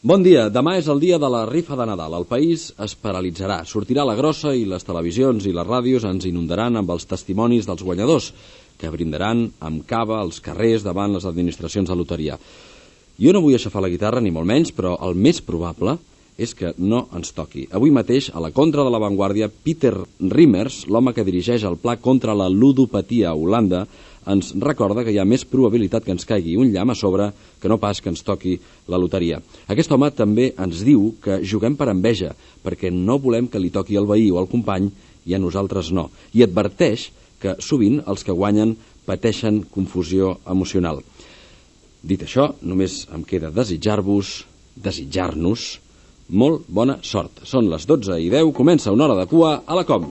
Bon dia, demà és el dia de la rifa de Nadal. El país es paralitzarà, sortirà la grossa i les televisions i les ràdios ens inundaran amb els testimonis dels guanyadors, que brindaran amb cava als carrers davant les administracions de loteria. Jo no vull aixafar la guitarra, ni molt menys, però el més probable és que no ens toqui. Avui mateix, a la contra de l'avantguàrdia, Peter Riemers, l'home que dirigeix el pla contra la ludopatia a Holanda, ens recorda que hi ha més probabilitat que ens caigui un llamp a sobre que no pas que ens toqui la loteria. Aquest home també ens diu que juguem per enveja, perquè no volem que li toqui al veí o al company i a nosaltres no. I adverteix que sovint els que guanyen pateixen confusió emocional. Dit això, només em queda desitjar-nos molt bona sort. Són les 12:10, comença una hora de cua a la COM.